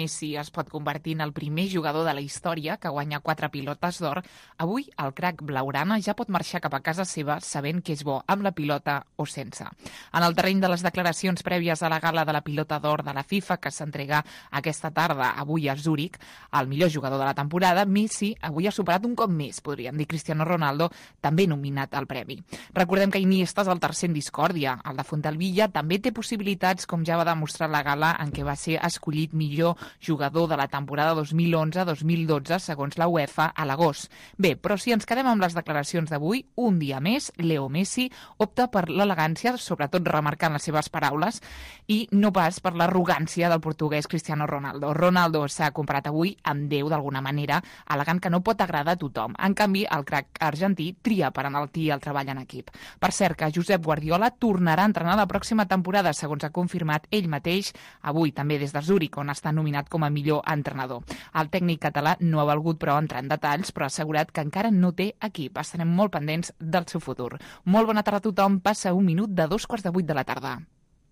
Messi es pot convertir en el primer jugador de la història que guanya 4 pilotes d'or, avui el crac blaugrana ja pot marxar cap a casa seva sabent que és bo amb la pilota o sense. En el terreny de les declaracions prèvies a la gala de la pilota d'or de la FIFA, que s'entrega aquesta tarda avui a Zúrich, el millor jugador de la temporada, Messi avui ha superat un cop més, podríem dir, Cristiano Ronaldo, també nominat al premi. Recordem que Iniesta és el tercer en discòrdia. El de Fontalvilla també té possibilitats, com ja va demostrar la gala en què va ser escollit millor jugador de la temporada 2011-2012 segons la UEFA a l'agost. Bé, però si ens quedem amb les declaracions d'avui, un dia més, Leo Messi opta per l'elegància, sobretot remarcant les seves paraules, i no pas per l'arrogància del portuguès Cristiano Ronaldo. Ronaldo s'ha comparat avui amb Déu d'alguna manera, al·legant que no pot agradar a tothom. En canvi, el crac argentí tria per enaltir el treball en equip. Per cert, que Josep Guardiola tornarà a entrenar la pròxima temporada, segons ha confirmat ell mateix avui, també des de Zúrich, on està nominat com a millor entrenador. El tècnic català no ha volgut, però, entrar en detalls, però ha assegurat que encara no té equip. Estarem molt pendents del seu futur. Molt bona tarda a tothom. Passa un minut de 7:45 de la tarda.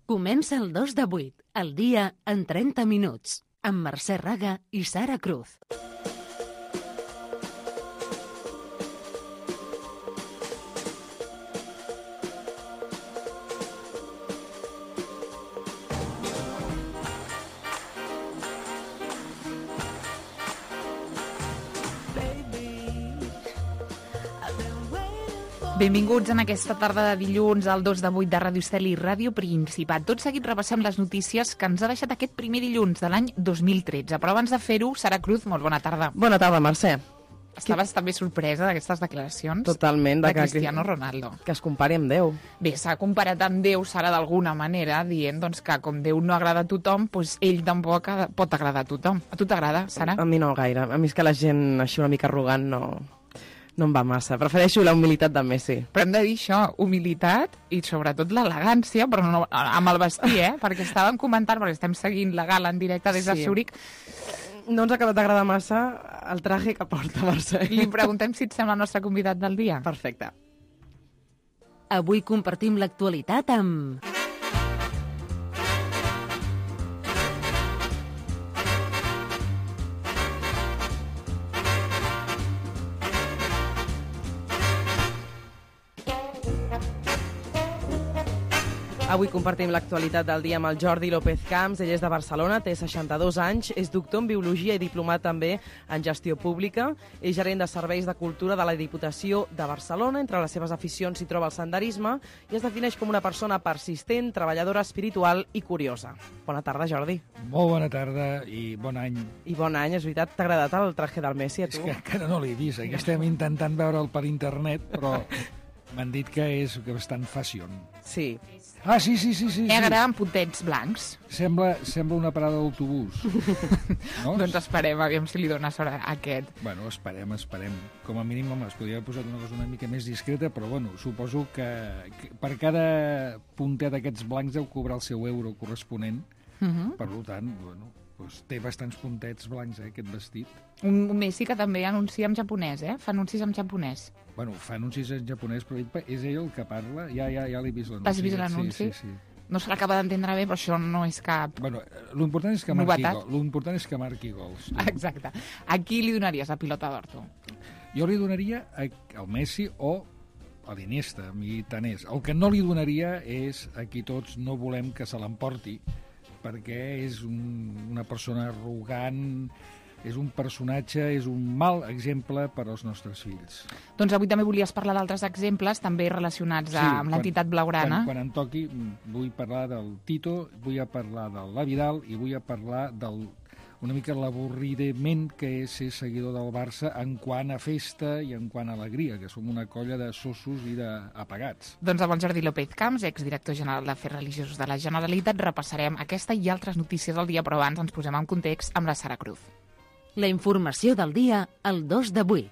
Comença el 2 de 8, el dia en 30 minuts, amb Mercè Raga i Sara Cruz. Benvinguts en aquesta tarda de dilluns al 2 de 8 de Ràdio Estel i Ràdio Principat. Tot seguit repassem les notícies que ens ha deixat aquest primer dilluns de l'any 2013. Però abans de fer-ho, Sara Cruz, molt bona tarda. Bona tarda, Mercè. Estaves també sorpresa d'aquestes declaracions? Totalment. De Cristiano Ronaldo. Que es compari amb Déu. Bé, s'ha comparat amb Déu, Sara, d'alguna manera, dient doncs, que com Déu no agrada a tothom, doncs ell tampoc pot agradar a tothom. A tu t'agrada, Sara? A mi no gaire. A mi és que la gent així una mica arrogant no em va massa. Prefereixo la humilitat de Messi. Però hem de dir això, humilitat i sobretot l'elegància, però no amb el vestir, perquè estàvem comentant, perquè estem seguint la gala en directe des de Zúrich. No ens ha acabat d'agradar massa el traje que porta, Mercè. Li preguntem si et sembla el nostre convidat del dia. Perfecte. Avui compartim l'actualitat amb... Avui compartim l'actualitat del dia amb el Jordi López Camps. Ell és de Barcelona, té 62 anys, és doctor en Biologia i diplomat també en Gestió Pública. És gerent de Serveis de Cultura de la Diputació de Barcelona. Entre les seves aficions s'hi troba el senderisme i es defineix com una persona persistent, treballadora espiritual i curiosa. Bona tarda, Jordi. Molt bona tarda i bon any. I bon any, és veritat. T'ha agradat el traje del Messi, a tu? És que encara no l'he vist. Aquí estem intentant veure'l per internet, però m'han dit que és bastant fashion. Sí. Ah, sí. Negre amb puntets blancs. Sembla una parada d'autobús. No? Doncs esperem, aviam si li dona sort a aquest. Bueno, esperem. Com a mínim, home, es podria haver posat una cosa una mica més discreta, però bueno, suposo que per cada puntet d'aquests blancs deu cobrar el seu euro corresponent. Per tant, bueno, doncs té bastants puntets blancs, aquest vestit. Un Messi que també anuncia en japonès, Fa anuncis en japonès. Bueno, fa anuncis en japonès, però és ell el que parla? Ja l'he vist l'anunci. Has vist l'anunci? Sí. No se l'acaba d'entendre bé, però això no és cap... Bueno, l'important és que marqui gols. Exacte. A qui li donaries la pilota d'or, tu? Jo li donaria al Messi o a l'Iniesta, a mi tant és. El que no li donaria és a qui tots no volem que se l'emporti, perquè és una persona arrogant, és un personatge, és un mal exemple per als nostres fills. Doncs avui també volies parlar d'altres exemples, també relacionats amb l'entitat blaugrana. Quan em toqui, vull parlar del Tito, vull parlar del Vidal i vull parlar una mica l'avorridament que és ser seguidor del Barça en quant a festa i en quant a alegria, que som una colla de sossos i d'apagats. Doncs amb el Jordi López Camps, exdirector general d'Afers Religiosos de la Generalitat, repassarem aquesta i altres notícies del dia, però abans ens posem en context amb la Sara Cruz. La informació del dia al 2 de 8.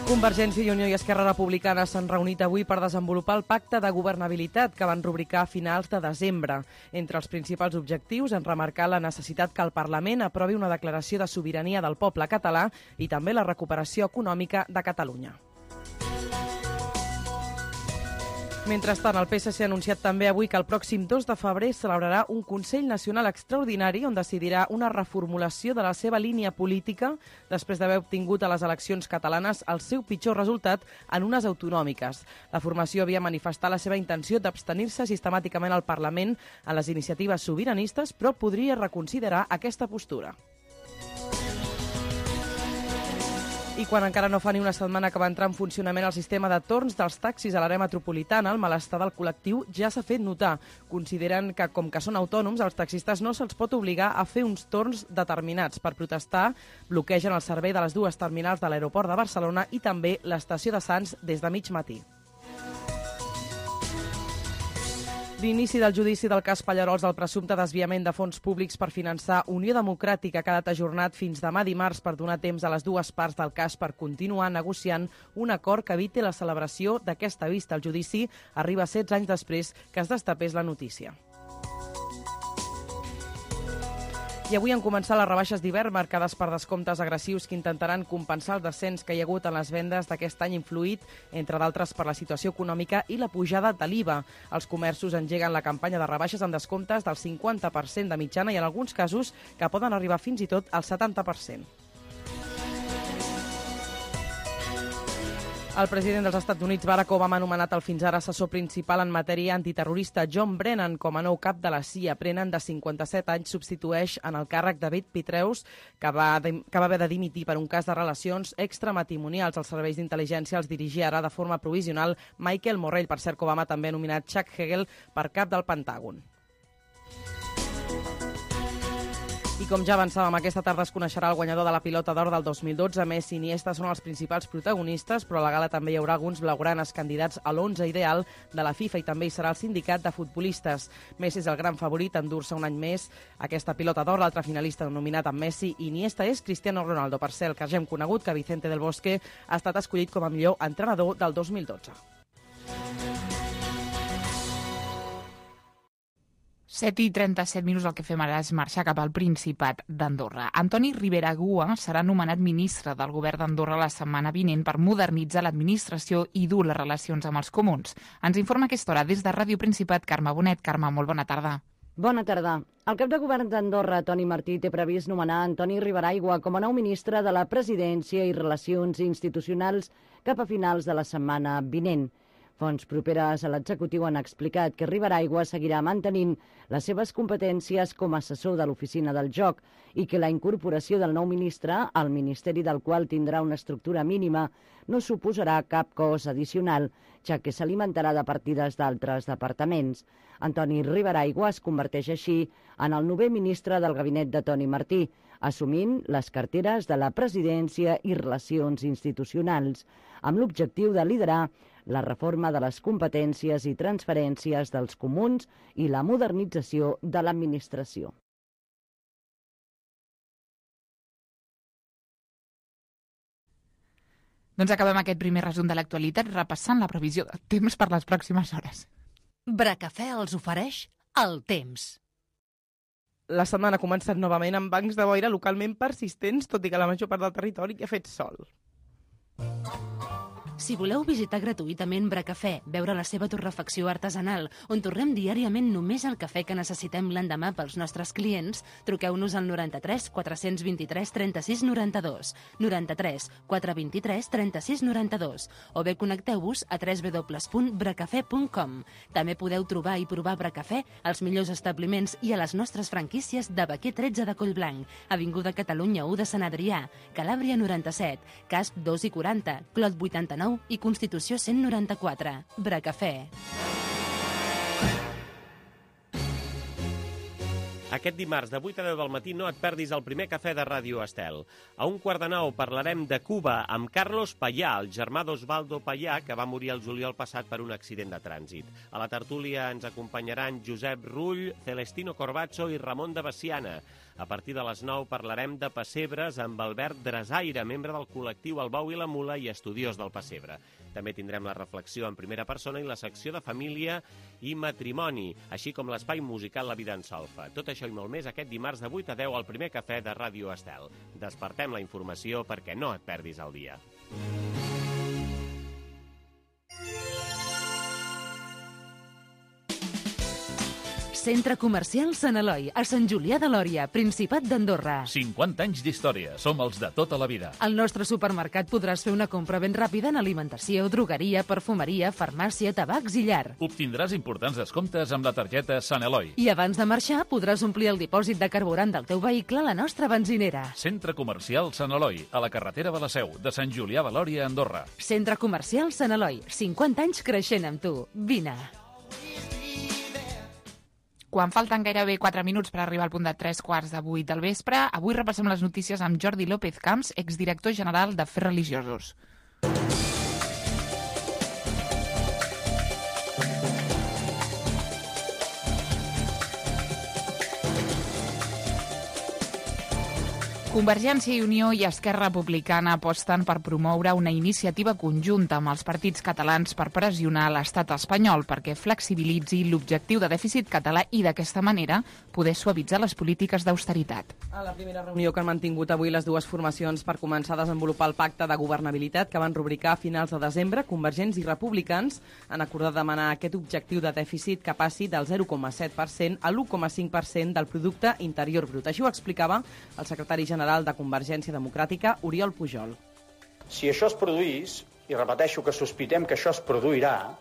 Convergència i Unió i Esquerra Republicana s'han reunit avui per desenvolupar el pacte de governabilitat que van rubricar a finals de desembre. Entre els principals objectius han remarcat la necessitat que el Parlament aprovi una declaració de sobirania del poble català i també la recuperació econòmica de Catalunya. Mentrestant, el PSC ha anunciat també avui que el pròxim 2 de febrer celebrarà un Consell Nacional Extraordinari on decidirà una reformulació de la seva línia política després d'haver obtingut a les eleccions catalanes el seu pitjor resultat en unes autonòmiques. La formació havia manifestat la seva intenció d'abstenir-se sistemàticament al Parlament en les iniciatives sobiranistes, però podria reconsiderar aquesta postura. I quan encara no fa ni una setmana que va entrar en funcionament el sistema de torns dels taxis a l'àrea metropolitana, el malestar del col·lectiu ja s'ha fet notar. Consideren que, com que són autònoms, als taxistes no se'ls pot obligar a fer uns torns determinats. Per protestar, bloquegen el servei de les dues terminals de l'aeroport de Barcelona i també l'estació de Sants des de mig matí. L'inici del judici del cas Pallarols del presumpte desviament de fons públics per finançar Unió Democràtica ha quedat ajornat fins demà dimarts per donar temps a les dues parts del cas per continuar negociant un acord que eviti la celebració d'aquesta vista. El judici arriba 16 anys després que es destapés la notícia. I avui han començat les rebaixes d'hivern marcades per descomptes agressius que intentaran compensar el descens que hi ha hagut en les vendes d'aquest any influït, entre d'altres, per la situació econòmica i la pujada de l'IVA. Els comerços engeguen la campanya de rebaixes amb descomptes del 50% de mitjana i en alguns casos que poden arribar fins i tot al 70%. El president dels Estats Units, Barack Obama, ha nomenat el fins ara assessor principal en matèria antiterrorista John Brennan com a nou cap de la CIA. Brennan, de 57 anys, substitueix en el càrrec David Petraeus, que va haver de dimitir per un cas de relacions extramatrimonials. Els serveis d'intel·ligència els dirigia ara de forma provisional Michael Morrell. Per cert, que Obama també ha nominat Chuck Hagel per cap del Pentàgon. I com ja avançàvem, aquesta tarda es coneixerà el guanyador de la Pilota d'Or del 2012. Messi i Iniesta són els principals protagonistes, però a la gala també hi haurà alguns blaugranes candidats a l'11 ideal de la FIFA i també hi serà el sindicat de futbolistes. Messi és el gran favorit a endur-se un any més aquesta Pilota d'Or. L'altre finalista nominat amb Messi i Iniesta és Cristiano Ronaldo. Per cert, que ja hem conegut que Vicente del Bosque ha estat escollit com a millor entrenador del 2012. 7:37 el que fem ara és marxar cap al Principat d'Andorra. Antoni Ribera Gua serà nomenat ministre del govern d'Andorra la setmana vinent per modernitzar l'administració i dur les relacions amb els comuns. Ens informa a aquesta hora des de Ràdio Principat, Carme Bonet. Carme, molt bona tarda. Bona tarda. El cap de govern d'Andorra, Toni Martí, té previst nomenar Antoni Riberaigua com a nou ministre de la Presidència i Relacions Institucionals cap a finals de la setmana vinent. Fonts properes a l'executiu han explicat que Riberaigua seguirà mantenint les seves competències com a assessor de l'Oficina del Joc i que la incorporació del nou ministre, al ministeri del qual tindrà una estructura mínima, no suposarà cap cost addicional, ja que s'alimentarà de partides d'altres departaments. Antoni Riberaigua es converteix així en el 9è ministre del gabinet de Toni Martí, assumint les carteres de la Presidència i Relacions Institucionals, amb l'objectiu de liderar la reforma de les competències i transferències dels comuns i la modernització de l'administració. Doncs acabem aquest primer resum de l'actualitat repassant la previsió de temps per les pròximes hores. Bracafè els ofereix el temps. La setmana ha començat novament amb bancs de boira localment persistents, tot i que la major part del territori ha fet sol. Si voleu visitar gratuïtament Bracafè, veure la seva torrefacció artesanal, on torrem diàriament només el cafè que necessitem l'endemà pels nostres clients, truqueu-nos al 93 423 36 92, 93 423 36 92, o bé connecteu-vos a www.bracafè.com. També podeu trobar i provar Bracafè als millors establiments i a les nostres franquícies de Baquer 13 de Collblanc, Avinguda Catalunya 1 de Sant Adrià, Calàbria 97, Casp 2 i 40, Clot 89 i Constitució 194. Bracafè. Aquest dimarts de 8 a 10 del matí no et perdis el primer cafè de Ràdio Estel. A 1:15 parlarem de Cuba amb Carlos Payá, el germà d'Osvaldo Payá, que va morir el juliol passat per un accident de trànsit. A la tertúlia ens acompanyaran Josep Rull, Celestino Corbacho i Ramon de Veciana. A partir de les 9 parlarem de pessebres amb Albert Drasaire, membre del col·lectiu El Bou i la Mula i estudiós del pessebre. També tindrem la reflexió en primera persona i la secció de família i matrimoni, així com l'espai musical La Vida en Solfa. Tot això i molt més aquest dimarts de 8 a 10 al primer cafè de Ràdio Estel. Despertem la informació perquè no et perdis el dia. Centre Comercial Sant Eloi, a Sant Julià de Lòria, Principat d'Andorra. 50 anys d'història. Som els de tota la vida. Al nostre supermercat podràs fer una compra ben ràpida en alimentació, drogueria, perfumeria, farmàcia, tabacs i llar. Obtindràs importants descomptes amb la targeta Sant Eloi. I abans de marxar podràs omplir el dipòsit de carburant del teu vehicle a la nostra benzinera. Centre Comercial Sant Eloi, a la carretera de la Seu, de Sant Julià de Lòria, Andorra. Centre Comercial Sant Eloi, 50 anys creixent amb tu. Vine. Quan falten gairebé 4 minuts per arribar al punt de 3:15 del vespre, avui repassem les notícies amb Jordi López Camps, exdirector general d'Afers Religiosos. Convergència i Unió i Esquerra Republicana aposten per promoure una iniciativa conjunta amb els partits catalans per pressionar l'estat espanyol perquè flexibilitzi l'objectiu de dèficit català i d'aquesta manera poder suavitzar les polítiques d'austeritat. A la primera reunió que han mantingut avui les dues formacions per començar a desenvolupar el pacte de governabilitat que van rubricar a finals de desembre, convergents i republicans han acordat demanar aquest objectiu de dèficit que passi del 0,7% a l'1,5% del producte interior brut. Així ho explicava el secretari general de Convergència Democràtica, Oriol Pujol. Si això es produís, i repeteixo que sospitem que això es produirà,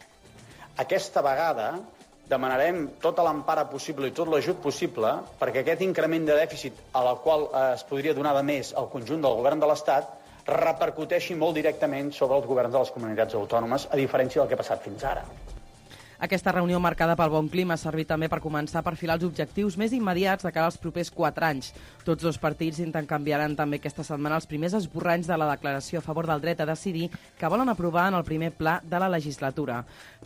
aquesta vegada demanarem tota l'empara possible i tot l'ajut possible perquè aquest increment de dèficit a la qual es podria donar de més al conjunt del govern de l'Estat repercuteixi molt directament sobre els governs de les comunitats autònomes, a diferència del que ha passat fins ara. Aquesta reunió marcada pel bon clima ha servit també per començar a perfilar els objectius més immediats de cara als propers 4 anys. Tots dos partits intercanviaran també aquesta setmana els primers esborranys de la declaració a favor del dret a decidir que volen aprovar en el primer pla de la legislatura.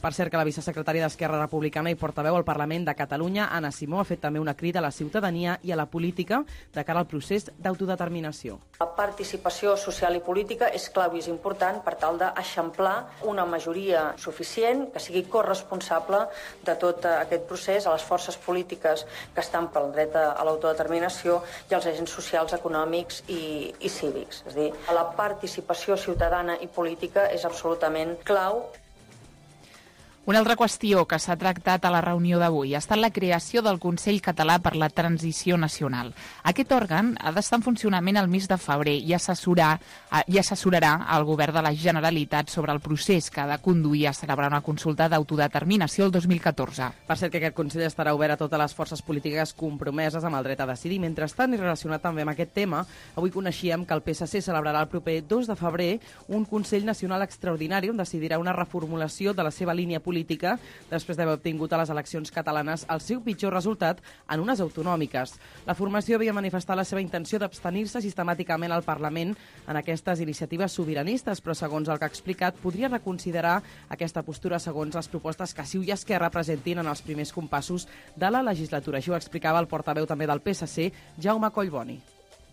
Per cert que la vicesecretària d'Esquerra Republicana i portaveu al Parlament de Catalunya, Anna Simó, ha fet també una crida a la ciutadania i a la política de cara al procés d'autodeterminació. La participació social i política és clau i és important per tal d'eixamplar una majoria suficient que sigui corresponsable de tot aquest procés a les forces polítiques que estan pel dret a l'autodeterminació i als agents socials, econòmics i cívics. És a dir, la participació ciutadana i política és absolutament clau. Una altra qüestió que s'ha tractat a la reunió d'avui ha estat la creació del Consell Català per la Transició Nacional. Aquest òrgan ha d'estar en funcionament el mes de febrer i assessorarà el govern de la Generalitat sobre el procés que ha de conduir a celebrar una consulta d'autodeterminació el 2014. Per cert que aquest Consell estarà obert a totes les forces polítiques compromeses amb el dret a decidir. Mentrestant, i relacionat també amb aquest tema, avui coneixíem que el PSC celebrarà el proper 2 de febrer un Consell Nacional Extraordinari on decidirà una reformulació de la seva línia política després d'haver obtingut a les eleccions catalanes el seu pitjor resultat en unes autonòmiques. La formació havia manifestat la seva intenció d'abstenir-se sistemàticament al Parlament en aquestes iniciatives sobiranistes, però segons el que ha explicat, podria reconsiderar aquesta postura segons les propostes que CiU i Esquerra presentin en els primers compassos de la legislatura. Això ho explicava el portaveu també del PSC, Jaume Collboni.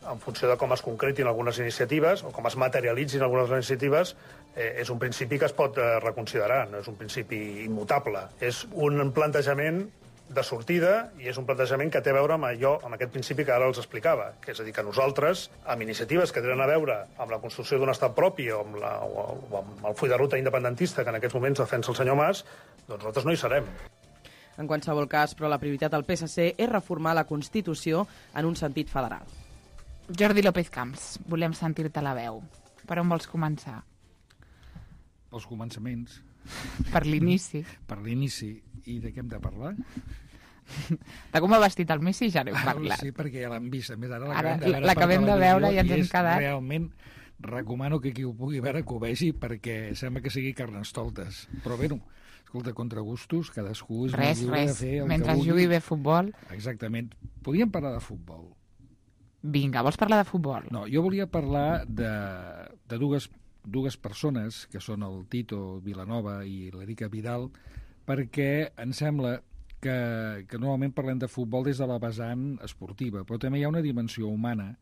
En funció de com es concretin algunes iniciatives o com es materialitzin algunes iniciatives, és un principi que es pot reconsiderar, no és un principi immutable. És un plantejament de sortida i és un plantejament que té a veure amb allò, amb aquest principi que ara els explicava, que és a dir, que nosaltres, amb iniciatives que tenen a veure amb la construcció d'un estat propi o amb el full de ruta independentista que en aquests moments defensa el senyor Mas, doncs nosaltres no hi serem. En qualsevol cas, però, la prioritat del PSC és reformar la Constitució en un sentit federal. Jordi López Camps, volem sentir-te la veu. Per on vols començar? Pels començaments. Per l'inici. Per l'inici. I de què hem de parlar? De com ha vestit el Messi ja n'hem parlat. Sí, perquè ja l'han vist. A més, ara l'acabem de veure i ens hem quedat. Realment, recomano que qui ho pugui veure que ho vegi perquè sembla que sigui carnestoltes. Però bé, escolta, contra gustos, cadascú és molt lliure de fer el mentre que vulgui. jugui bé futbol. Exactament. Podríem parlar de futbol. Vinga, vols parlar de futbol? No, jo volia parlar de dues persones, que són el Tito Vilanova i l'Erika Vidal, perquè em sembla que normalment parlem de futbol des de la vessant esportiva, però també hi ha una dimensió humana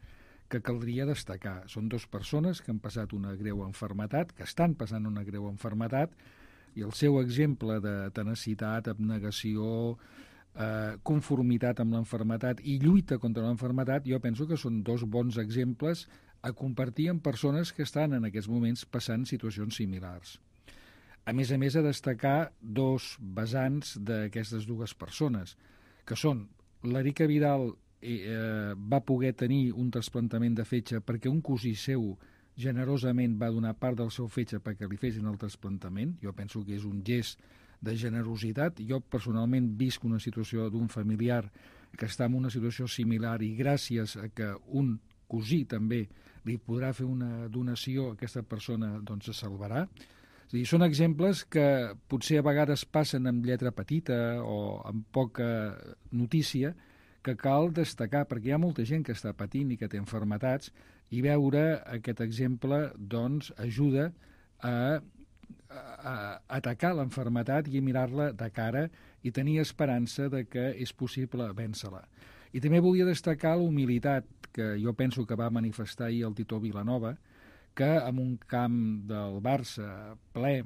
que caldria destacar. Són dues persones que han passat una greu malaltia, que estan passant una greu malaltia, i el seu exemple de tenacitat, abnegació, conformitat amb la malaltia i lluita contra la malaltia, jo penso que són dos bons exemples a compartir amb persones que estan en aquests moments passant situacions similars. A més, a destacar dos vessants d'aquestes dues persones, que són l'Erica Vidal va poder tenir un trasplantament de fetge perquè un cosí seu generosament va donar part del seu fetge perquè li fessin el trasplantament. Jo penso que és un gest de generositat. Jo personalment visc una situació d'un familiar que està en una situació similar i gràcies a que un cosí també li podrà fer una donació, aquesta persona doncs se salvarà. És a dir, són exemples que potser a vegades passen amb lletra petita o amb poca notícia, que cal destacar, perquè hi ha molta gent que està patint i que té malalties, i veure aquest exemple doncs, ajuda a atacar la malaltia i a mirar-la de cara i tenir esperança de que és possible vèncer-la. I també volia destacar la humilitat que jo penso que va manifestar ahir el Tito Vilanova, que en un camp del Barça ple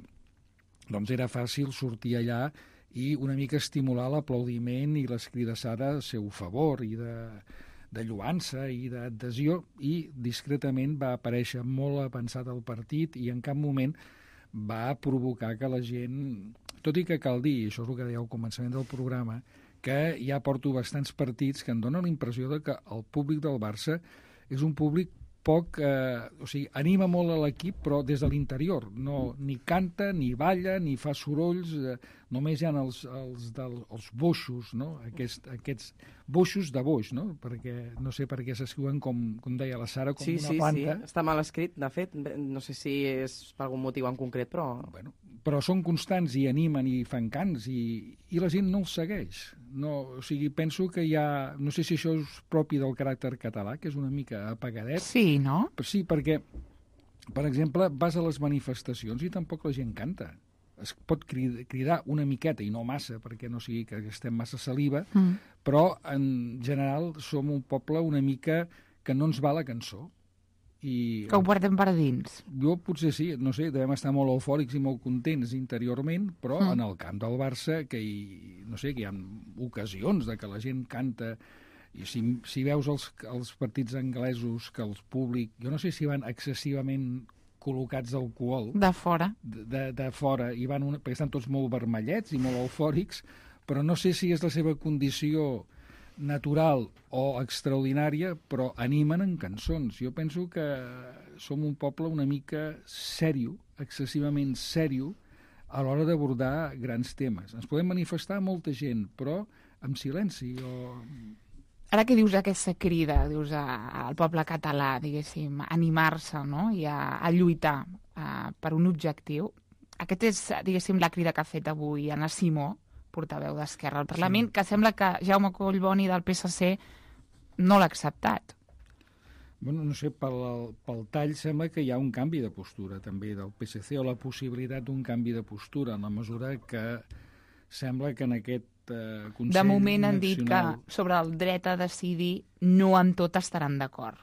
doncs era fàcil sortir allà i una mica estimular l'aplaudiment i l'escridassada al seu favor i de lluança i d'adhesió, i discretament va aparèixer molt avançat al partit i en cap moment va provocar que la gent, tot i que cal dir, això és el que deia al començament del programa, que ja porto bastants partits que em donen la impressió de que el públic del Barça és un públic poc, o sigui, anima molt a l'equip, però des de l'interior. No, ni canta, ni balla, ni fa sorolls, només hi ha els boixos, no? Aquests boixos de boix, no? Perquè no sé per què s'escriuen, com deia la Sara, com una planta. Sí, està mal escrit, de fet. No sé si és per algun motiu en concret, però... Bueno, però són constants i animen i fan cants i la gent no els segueix. No, o sigui, penso que hi ha... No sé si això és propi del caràcter català, que és una mica apagadet. Sí, no? Sí, perquè, per exemple, vas a les manifestacions i tampoc la gent canta. Es pot cridar una miqueta, i no massa, perquè no sigui que estem massa saliva, però en general som un poble una mica que no ens va la cançó. Que ho portem per dins. Jo potser sí, no sé, devem estar molt eufòrics i molt contents interiorment, però en el camp del Barça, que hi ha ocasions de que la gent canta, i si veus els partits anglesos, que el públic, jo no sé si van excessivament col·locats d'alcohol. De fora. De fora, i perquè estan tots molt vermellets i molt eufòrics, però no sé si és la seva condició natural o extraordinària, però animen en cançons. Jo penso que som un poble una mica sèrio, excessivament sèrio, a l'hora d'abordar grans temes. Ens podem manifestar molta gent, però amb silenci. Ara que dius aquesta crida, dius al poble català, diguéssim, animar-se, no? I a lluitar per un objectiu, aquest és, diguéssim, la crida que ha fet avui Anna Simó, portaveu d'Esquerra al Parlament, que sembla que Jaume Collboni del PSC no l'ha acceptat. Bueno, no sé, pel tall sembla que hi ha un canvi de postura també del PSC, o la possibilitat d'un canvi de postura, en la mesura que sembla que en aquest Consell Nacional... De moment han dit que sobre el dret a decidir no amb tot estaran d'acord.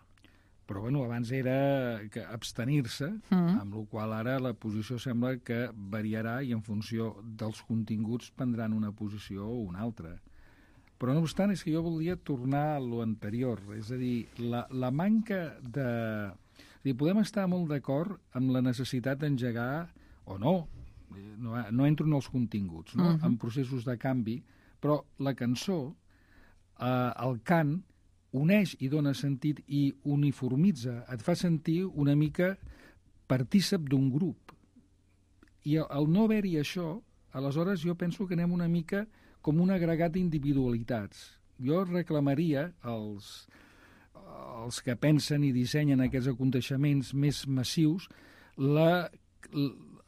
Però bueno, abans era que abstenir-se, amb la qual ara la posició sembla que variarà i en funció dels continguts prendran una posició o una altra. Però no obstant, és que jo voldria tornar a lo anterior, és a dir, la manca de... És a dir, podem estar molt d'acord amb la necessitat d'engegar, o no entro en els continguts, no? En processos de canvi, però la cançó, el cant, uneix i dona sentit i uniformitza, et fa sentir una mica partícip d'un grup. I al no haver-hi això, aleshores jo penso que anem una mica com un agregat d'individualitats. Jo reclamaria als que pensen i dissenyen aquests aconteixements més massius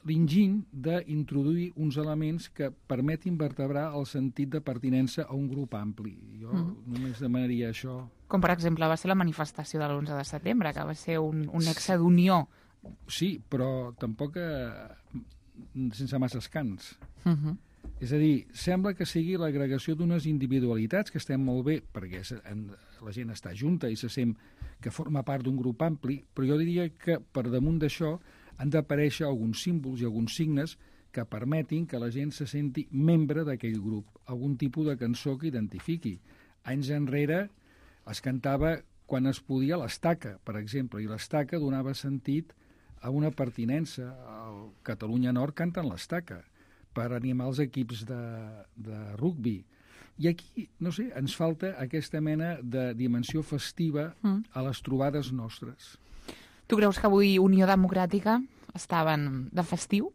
l'enginy d'introduir uns elements que permetin vertebrar el sentit de pertinença a un grup ampli. Jo només demanaria això. Com, per exemple, va ser la manifestació de l'11 de setembre, que va ser un nexe d'unió. Sí, però tampoc sense masses cants. És a dir, sembla que sigui l'agregació d'unes individualitats que estem molt bé, perquè la gent està junta i se sent que forma part d'un grup ampli, però jo diria que per damunt d'això han d'aparèixer alguns símbols i alguns signes que permetin que la gent se senti membre d'aquell grup, algun tipus de cançó que identifiqui. Anys enrere es cantava quan es podia l'estaca, per exemple, i l'estaca donava sentit a una pertinença. Al Catalunya Nord canten l'estaca per animar els equips de rugbi. I aquí, no sé, ens falta aquesta mena de dimensió festiva a les trobades nostres. Tu creus que avui Unió Democràtica estaven de festiu?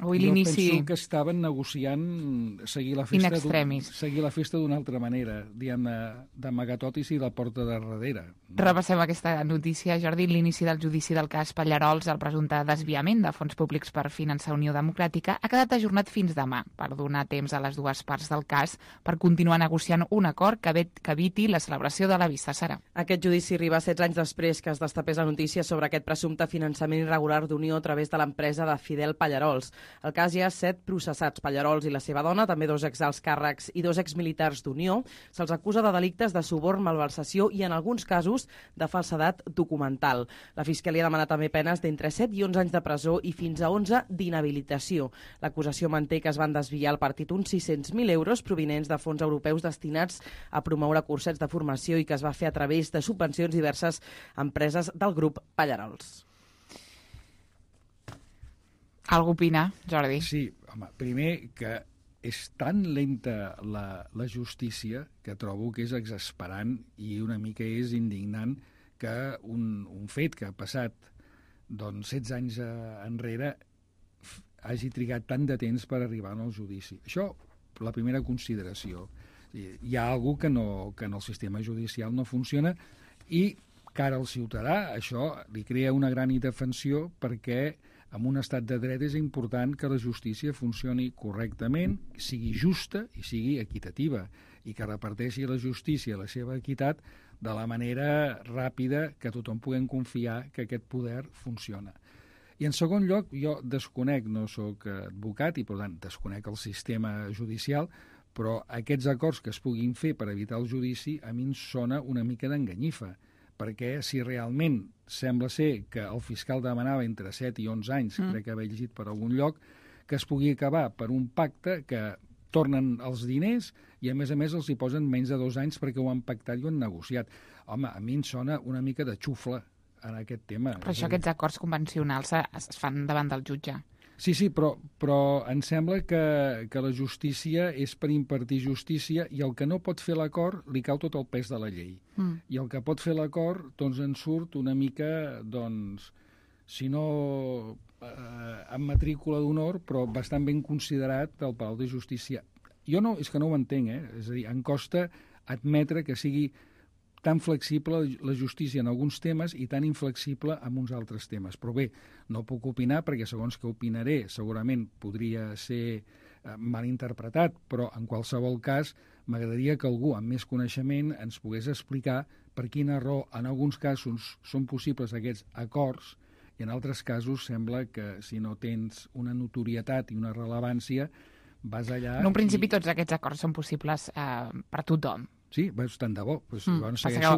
Avui l'inici... Jo penso que estaven negociant seguir la festa d'una altra manera, diguem-ne, d'amagatotis i la porta de darrere. Repassem aquesta notícia, Jordi. L'inici del judici del cas Pallarols, el presumpte desviament de fons públics per finançar Unió Democràtica, ha quedat ajornat fins demà per donar temps a les dues parts del cas per continuar negociant un acord que eviti la celebració de la vista serà. Aquest judici arriba 16 anys després que es destapés la notícia sobre aquest presumpte finançament irregular d'Unió a través de l'empresa de Fidel Pallarols. Al cas hi ha 7 processats, Pallarols i la seva dona, també 2 exalts càrrecs i 2 exmilitars d'Unió. Se'ls acusa de delictes de suborn, malversació i, en alguns casos, de falsedat documental. La Fiscalia demana també penes d'entre 7 i 11 anys de presó i fins a 11 d'inhabilitació. L'acusació manté que es van desviar al partit uns 600.000 euros provinents de fons europeus destinats a promoure cursets de formació i que es va fer a través de subvencions diverses a empreses del grup Pallarols. Algú opina, Jordi? Sí, home, primer que és tan lenta la justícia que trobo que és exasperant i una mica és indignant que un fet que ha passat 16 anys enrere hagi trigat tant de temps per arribar al judici. Això, la primera consideració. Hi ha alguna cosa que en el sistema judicial no funciona i cara al ciutadà això li crea una gran indefensió perquè en un estat de dret és important que la justícia funcioni correctament, sigui justa i sigui equitativa, i que reparteixi la justícia la seva equitat de la manera ràpida que tothom puguem confiar que aquest poder funciona. I en segon lloc, jo desconec, no sóc advocat i per tant desconec el sistema judicial, però aquests acords que es puguin fer per evitar el judici a mi em sona una mica d'enganyifa, perquè si realment sembla ser que el fiscal demanava entre 7 i 11 anys, crec que haver llegit per algun lloc, que es pugui acabar per un pacte que tornen els diners i a més els hi posen menys de 2 anys perquè ho han pactat i ho han negociat. Home, a mi em sona una mica de xufla en aquest tema. Però això, aquests acords convencionals es fan davant del jutge. Sí, però em sembla que la justícia és per impartir justícia i el que no pot fer l'acord li cau tot el pes de la llei. I el que pot fer l'acord, doncs en surt una mica, doncs, si no amb matrícula d'honor, però bastant ben considerat del Palau de Justícia. Jo no, és que no ho entenc, És a dir, em costa admetre que sigui tan flexible la justícia en alguns temes i tan inflexible en uns altres temes. Però bé, no puc opinar perquè segons que opinaré segurament podria ser mal interpretat, però en qualsevol cas m'agradaria que algú amb més coneixement ens pogués explicar per quina raó en alguns casos són possibles aquests acords i en altres casos sembla que si no tens una notorietat i una rellevància vas allà... En un principi tots aquests acords són possibles per tothom. Sí, tant de bo. Pues,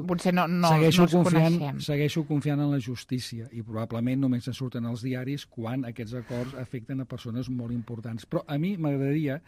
potser no els coneixem. Segueixo confiant en la justícia i probablement només en surten als diaris quan aquests acords afecten a persones molt importants. Però a mi m'agradaria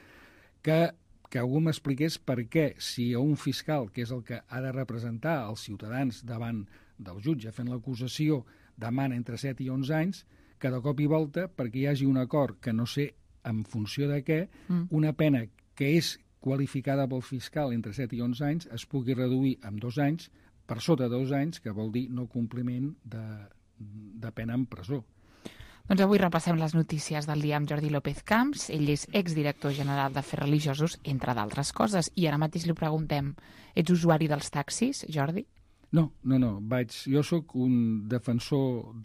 que algú m'expliqués per què, si un fiscal, que és el que ha de representar els ciutadans davant del jutge fent l'acusació, demana entre 7 i 11 anys, que de cop i volta, perquè hi hagi un acord que no sé en funció de què, una pena que és qualificada pel fiscal entre 7 i 11 anys es pugui reduir en 2 anys, per sota de 2 anys, que vol dir no compliment de pena en presó. Doncs avui repassem les notícies del dia amb Jordi López Camps. Ell és exdirector general d'Afers Religiosos, entre d'altres coses. I ara mateix li preguntem, ets usuari dels taxis, Jordi? No. Jo sóc un defensor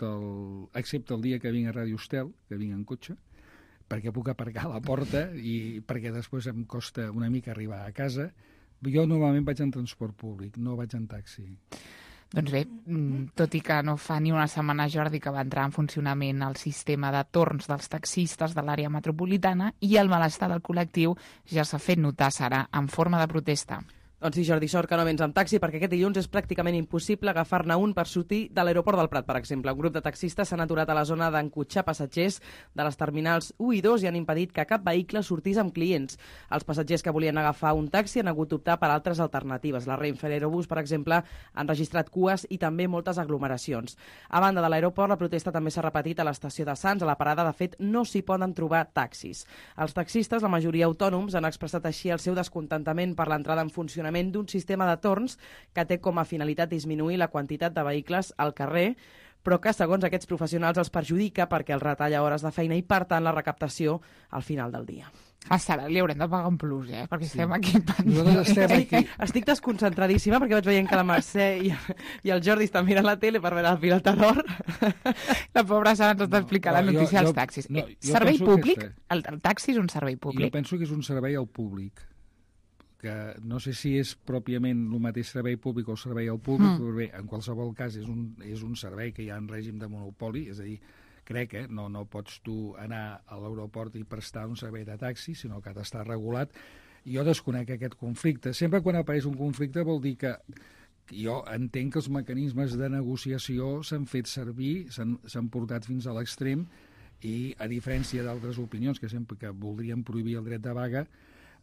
excepte el dia que vinc a Ràdio Estel, que vinc en cotxe, perquè puc aparcar a la porta i perquè després em costa una mica arribar a casa. Jo normalment vaig en transport públic, no vaig en taxi. Doncs bé, tot i que no fa ni una setmana, Jordi, que va entrar en funcionament el sistema de torns dels taxistes de l'àrea metropolitana i el malestar del col·lectiu ja s'ha fet notar, Sara, en forma de protesta. Doncs sí, Jordi, sort que no vens amb taxi, perquè aquest dilluns és pràcticament impossible agafar-ne un per sortir de l'aeroport del Prat, per exemple. Un grup de taxistes s'han aturat a la zona d'encotxar passatgers de les terminals 1 i 2 i han impedit que cap vehicle sortís amb clients. Els passatgers que volien agafar un taxi han hagut d'optar per altres alternatives. La Renfe i l'Aerobús, per exemple, han registrat cues i també moltes aglomeracions. A banda de l'aeroport, la protesta també s'ha repetit a l'estació de Sants. A la parada, de fet, no s'hi poden trobar taxis. Els taxistes, la majoria autònoms, han expressat així el seu descontentament per l'entrada en funcionament d'un sistema de torns que té com a finalitat disminuir la quantitat de vehicles al carrer, però que, segons aquests professionals, els perjudica perquè els retalla hores de feina i, per tant, la recaptació al final del dia. A Sara li haurem de pagar un plus, perquè estem aquí pendents. Estic desconcentradíssima perquè vaig veient que la Mercè i el Jordi estan mirant la tele per veure el Pilota d'Or. La pobra Sara ens està explicant la notícia als taxis. Servei públic? El taxi és un servei públic? Jo penso que és un servei al públic, que no sé si és pròpiament el mateix servei públic o servei al públic, però bé, en qualsevol cas és un servei que hi ha en règim de monopoli, és a dir, crec, no pots tu anar a l'aeroport i prestar un servei de taxi, sinó que ha d'estar regulat. Jo desconec aquest conflicte. Sempre quan apareix un conflicte vol dir que jo entenc que els mecanismes de negociació s'han fet servir, s'han portat fins a l'extrem i, a diferència d'altres opinions que sempre que voldrien prohibir el dret de vaga,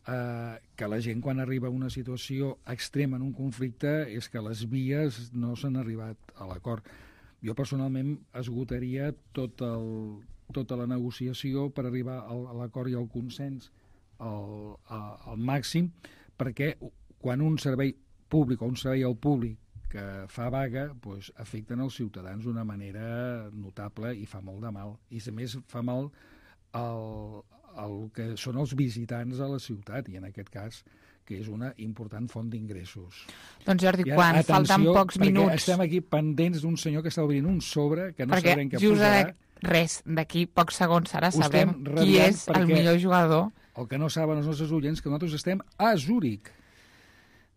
que la gent quan arriba a una situació extrema en un conflicte és que les vies no s'han arribat a l'acord. Jo personalment esgotaria tota la negociació per arribar a l'acord i al consens al màxim, perquè quan un servei públic o un servei al públic que fa vaga doncs, afecten els ciutadans d'una manera notable i fa molt de mal. I a més fa mal el que són els visitants a la ciutat, i en aquest cas que és una important font d'ingressos. Doncs Jordi, quan falten pocs minuts... Estem aquí pendents d'un senyor que està obrint un sobre que no sabrem què posarà. Res, d'aquí pocs segons ara sabem qui és el millor jugador. El que no saben els nostres oients que nosaltres estem a Zúrich.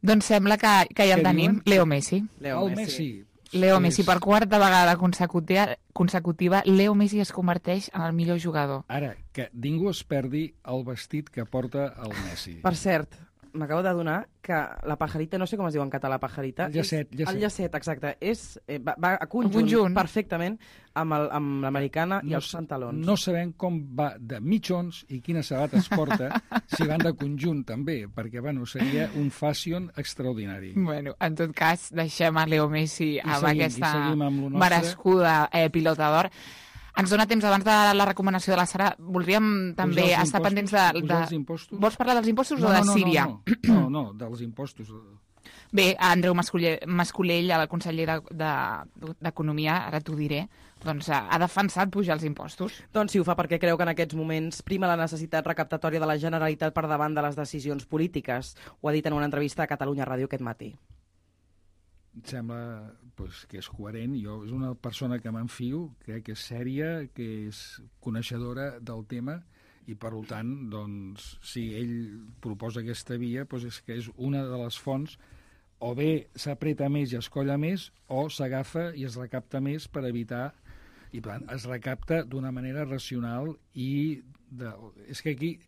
Doncs sembla que ja el tenim, Leo Messi. Leo Messi, per quarta vegada consecutiva, Leo Messi es converteix en el millor jugador. Ara, que ningú es perdi el vestit que porta el Messi. Per cert, m'acabo d'adonar que la pajarita, no sé com es diu en català, pajarita... El llacet. El llacet, exacte. Va a conjunt perfectament amb l'americana i els pantalons. No sabem com va de mitjons i quines sabates porta, si van de conjunt també, perquè seria un fashion extraordinari. Bueno, en tot cas, deixem a Leo Messi amb aquesta merescuda Pilota d'Or. Ens dona temps, abans de la recomanació de la Sara, voldríem també estar pendents de... Vols parlar dels impostos o de Síria? No, dels impostos. Bé, Andreu Mascolell, el conseller d'Economia, ara t'ho diré, doncs ha defensat pujar els impostos. Doncs sí, ho fa perquè creu que en aquests moments prima la necessitat recaptatòria de la Generalitat per davant de les decisions polítiques. Ho ha dit en una entrevista a Catalunya Ràdio aquest matí. Em sembla que és coherent. Jo és una persona que m'enfio, crec que és sèria, que és coneixedora del tema i, per tant, doncs, si ell proposa aquesta via, és que és una de les fonts, o bé s'apreta més i es colla més, o s'agafa i es recapta més per evitar... I, per tant, es recapta d'una manera racional i... És que aquí...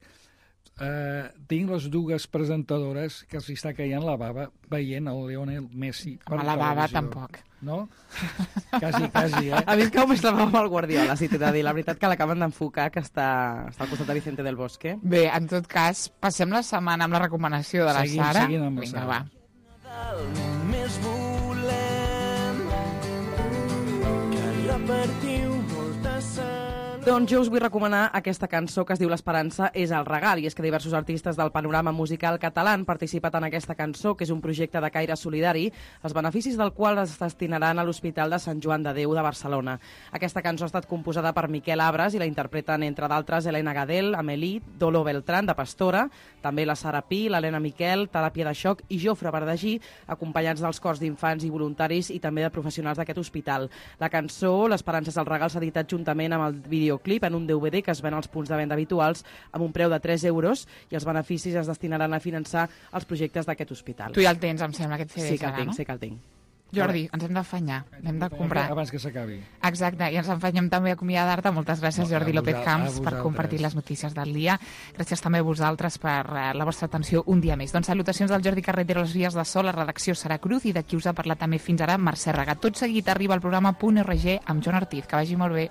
tinc les dues presentadores que els està caient la bava veient el Lionel Messi per televisió. La bava tampoc. No? Quasi, A mi es cau més la bava amb el Guardiola, si t'he de dir. La veritat que l'acaben d'enfocar, que està al costat de Vicente del Bosque. Bé, en tot cas, passem la setmana amb la recomanació de la Sara. Seguim amb la Sara. Va. Només volem que repartiu molta sal. Doncs jo us vull recomanar aquesta cançó que es diu L'Esperança és el regal, i és que diversos artistes del panorama musical català han participat en aquesta cançó, que és un projecte de caire solidari, els beneficis del qual es destinaran a l'Hospital de Sant Joan de Déu de Barcelona. Aquesta cançó ha estat composada per Miquel Abres i la interpreten, entre d'altres, Helena Gadel, Amélie, Dolo Beltrán, de Pastora, també la Sara Pi, l'Helena Miquel, Teràpia de Xoc i Jofre Verdagí, acompanyats dels cors d'infants i voluntaris i també de professionals d'aquest hospital. La cançó, L'Esperança és el regal, s'ha editat juntament amb el videoclip en un DVD que es ven als punts de venda habituals amb un preu de 3 euros, i els beneficis es destinaran a finançar els projectes d'aquest hospital. Tu ja el tens, em sembla, aquest CD. Sí que el tinc, sí que el tinc. Jordi, ens hem d'afanyar, hem de comprar. Abans que s'acabi. Exacte, i ens enfanyem també a acomiadar-te. Moltes gràcies, Jordi López Camps, per compartir les notícies del dia. Gràcies també a vosaltres per la vostra atenció un dia més. Doncs salutacions del Jordi Carretero a les vies de so, la redacció Sara Cruz, i de qui us ha parlat també fins ara, Mercè Ragat. Tot seguit arriba el programa Punt RG amb Joan Ortiz. Que vagi molt bé.